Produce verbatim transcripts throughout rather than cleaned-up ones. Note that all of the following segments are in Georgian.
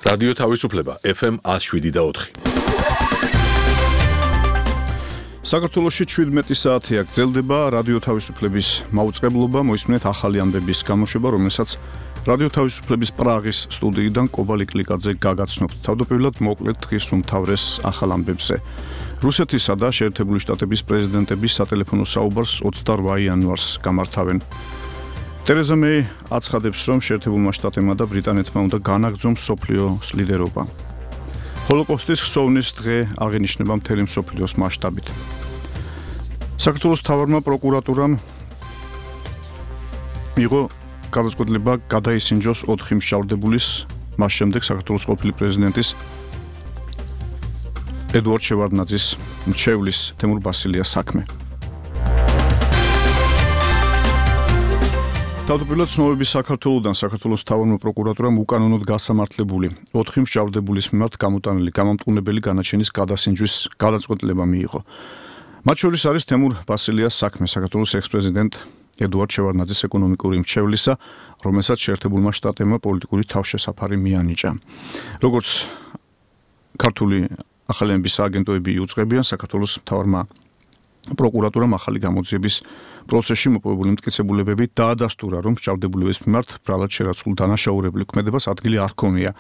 რადიო თავისუფლება ეფ ემ one oh seven და four. საქართველოში შვიდმეტი საათია გრძელდება რადიო თავისუფლების მაუწყებლობა, მოისმენთ ახალი ამბების გამოშვება, რომელსაც რადიო თავისუფლების პრაღის სტუდიიდან კობა ლიკლიკაძე გაგაცნობთ. თავდაპირველად მოკლედ დღის უმთავრეს ახალ ამბებზე. რუსეთისა და შეერთებული შტატების პრეზიდენტების სატელეფონო საუბარს ოცდაოთხ იანვარს გამართავენ. ტერეზა მეი აცხადებს, რომ შეერთებულმა შტატებმა და ბრიტანეთმა უნდა განაგრძონ მსოფლიოს ლიდერობა. ჰოლოკოსტის ხსოვნის დღე აღინიშნება მთელი მსოფლიოს მასშტაბით. საქართველოს მთავარმა პროკურატურამ მიიღო გადაწყვეტილება გადაისინჯოს ოთხი მშავდებულის, მას შემდეგ საქართველოს ყოფილი პრეზიდენტის ედუარდ შევარდნაძის მრჩევლის თემურ ბასილიას საქმე. თავდაპირველად ცნობების საქართველოდან საქართველოს მთავარმა პროკურატურამ უკანონოდ გასამართლებული ოთხი მშავდებულის მიმართ გამოტანილი გამამტყუნებელი განაჩენის გადასინჯვის გადაწყვეტილება მიიღო. მათ შორის არის თემურ ბასილიას საქმე, საქართველოს ექს-პრეზიდენტ ედუარდ შევარდნაძის ეკონომიკური მრჩევლისა, რომელსაც შეერთებულმა შტატებმა პოლიტიკური თავშესაფარი მიანიჭა. როგორც ქართული ახალი ამბების აგენტოები იუწყებიან, საქართველოს მთავარმა პროკურატურამ ახალი გამოძიების პროცესში მოპოვებული მტკიცებულებები დაადასტურა, რომ მშავდებულების მიმართ ბრალად შერაცხულ დანაშაულებული ქმედებას ადგილი არ ჰქონია.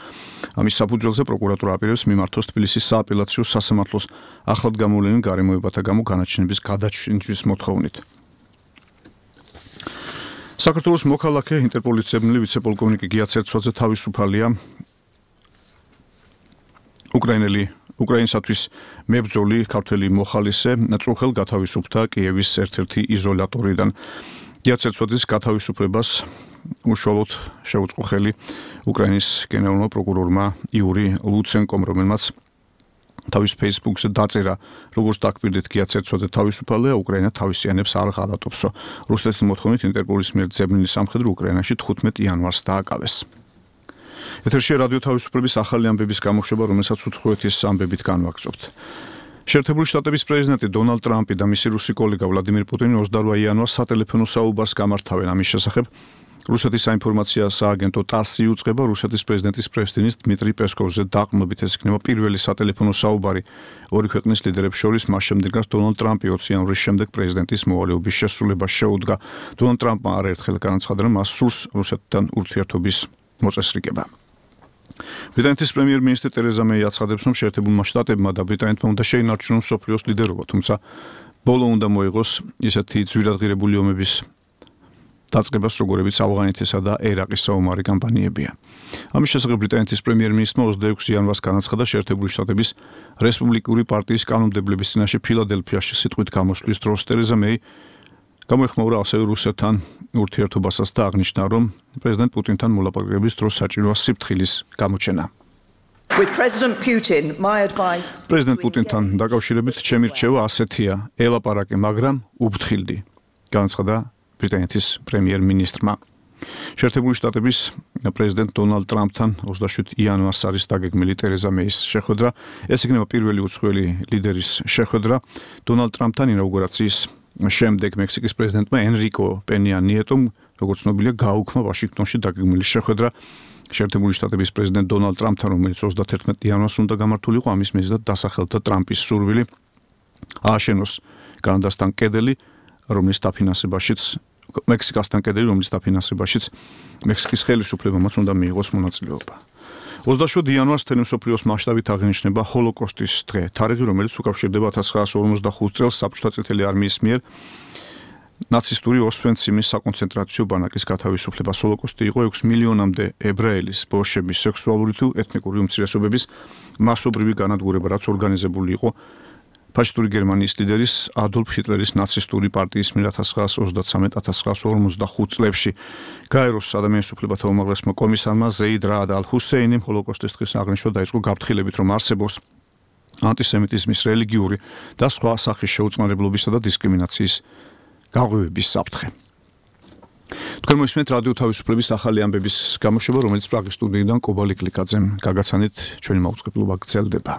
ამის საფუძველზე პროკურატურა აპირებს მიმართოს თბილისის სააპელაციო სასამართლოს ახლად გამოვლენილ გარემოებათა გამო განაჩენების გადაჩინჯვის მოთხოვნით. საქართველოს მოქალაქე ინტერპოლიცებნელი ვიცე-პოლკოვნიკი გია ცერცვაძე თავისუფალია. უკრაინელი უკრაინისათვის მებრძოლი ქართველი მოხალისე წუხელ გათავისუფლდა კიევის ერთ-ერთი იზოლატორიდან. გია ცერცვაძის გათავისუფლებას უშუალოდ შეუწყო ხელი უკრაინის გენერალურმა პროკურორმა იური ლუცენკომ, რომელმაც თავის ფეისბუქზე დაწერა, როგორც დაგკვირდით, გია ცერცვაძე თავისუფალია, უკრაინა თავისიანებს არ ღალატობსო. რუსეთის მოთხოვნით ინტერპოლის მიერ ძებნილი სამხედრო უკრაინაში თხუთმეტ იანვარს დააკავეს. ეთერში რადიო თავისუფლების ახალი ამბების გამოშვება, რომელსაც უცხოეთის ამბებით განვაგრძობთ. შეერთებული შტატების პრეზიდენტი დონალდ ტრამპი და მისი რუსი კოლეგა ვლადიმირ პუტინი ოცდაოთხ იანვარს სატელეფონო საუბარს გამართავენ. ამის შესახებ რუსეთის საინფორმაციო სააგენტო ტასი იუწყება, რუსეთის პრეზიდენტის პრესტინის დმიტრი პესკოვზე დაყრდნობით ეს იქნება პირველი სატელეფონო საუბარი ორი ქვეყნის ლიდერებს შორის, მას შემდეგ რაც დონალდ ტრამპი ოცი იანვრის შემდეგ პრეზიდენტის მოვალეობის შესრულებას შეუდგა. დონალდ ტრამპმა არაერთხელ განაცხადა, რომ მას სურს რუსეთთან ურთიერთობის მოწესრიგება. ბრიტანეთის პრემიერ-მინისტრი ტერეზა მეი აცხადებს, რომ შეერთებულმა შტატებმა და ბრიტანეთმა უნდა შეინარჩუნონ მსოფლიოს ლიდერობა, თუმცა ბოლო უნდა მოიღოს ისეთი ძვირადღირებული ომების დაწყებას, როგორებიც ავღანეთისა და ერაყის საომარი კამპანიებია. ამის შესახებ ბრიტანეთის პრემიერ-მინისტრმა ოცდაექვსი იანვარს განაცხადა შეერთებული შტატების რესპუბლიკური პარტიის კანონმდებლების წინაშე ფილადელფიაში სიტყვით გამოსვლის დროს. ტერეზა მეი გამოეხმაურა ასევე რუსეთთან ურთიერთობასაც და აღნიშნა, რომ პრეზიდენტ პუტინთან მოლაპარაკების დროს საჭიროა სიფრთხილის გამოჩენა. პრეზიდენტ პუტინთან დაკავშირებით ჩემი რჩევა ასეთია, ელაპარაკე, მაგრამ უფრთხილდი, განაცხადა ბრიტანეთის პრემიერ-მინისტრმა. შეერთებული შტატების პრეზიდენტ დონალდ ტრამპთან ოცდაშვიდ იანვარს არის დაგეგმილი ტერეზა მეის შეხვედრა. ეს იქნება პირველი უცხოელი ლიდერის შეხვედრა დონალდ ტრამპთან ინაუგურაციის შემდეგ. მექსიკის პრეზიდენტმა ენრიკო პენია ნიეტომ, როგორც ცნობილია, გააუქმა ვაშინგტონში დაგეგმილი შეხვედრა შეერთებული შტატების პრეზიდენტ დონალდ ტრამპთან, რომელიც ოცდათერთმეტ იანვარს უნდა გამართულიყო. ამის მიზეზად დასახელდა ტრამპის სურვილი ააშენოს კანადასთან კედელი, რომლის დაფინანსებაშიც მექსიკასთან კედელი, რომლის დაფინანსებაშიც მექსიკის ხელისუფლებამაც უნდა მიიღოს მონაწილეობა. ოცდაშვიდ იანვარს მთელი მსოფლიოს მასშტაბით აღინიშნება ჰოლოკოსტის დღე, თარიღი, რომელიც უკავშირდება ათას ცხრაასი ორმოცდახუთ წელს საბჭოთა წითელი არმიის მიერ ნაცისტური ოსვენციმის საკონცენტრაციო ბანაკის გათავისუფლებას. ჰოლოკოსტი იყო ექვს მილიონამდე ებრაელის, ბოშების, სექსუალური თუ ეთნიკური უმცირესობების მასობრივი განადგურება, რაც ორგანიზებული იყო ფაშისტური გერმანიის ლიდერის ადოლფ ჰიტლერის ნაცისტური პარტიის მიერ ათას ცხრაასი ოცდაცამეტ - ათას ცხრაასი ორმოცდახუთ წლებში. გაეროს ადამიანის უფლებათა უმაღლესმა კომისარმა ზეიდ რაად ალ-ჰუსეინიმ ჰოლოკოსტის დღის აღნიშვნა დაიწყო გაფრთხილებით, რომ არსებობს ანტისემიტიზმის, რელიგიური და სხვა სახის შეუწყნარებლობისა და დისკრიმინაციის გაღვივების საფრთხე. თქვენ მოისმენთ რადიო თავისუფლების ახალი ამბების გამოშვება, რომელიც პრაღის სტუდიიდან კობა ლიკლიკაძემ გაგაცანით, ჩვენი მაუწყებლობა გრძელდება.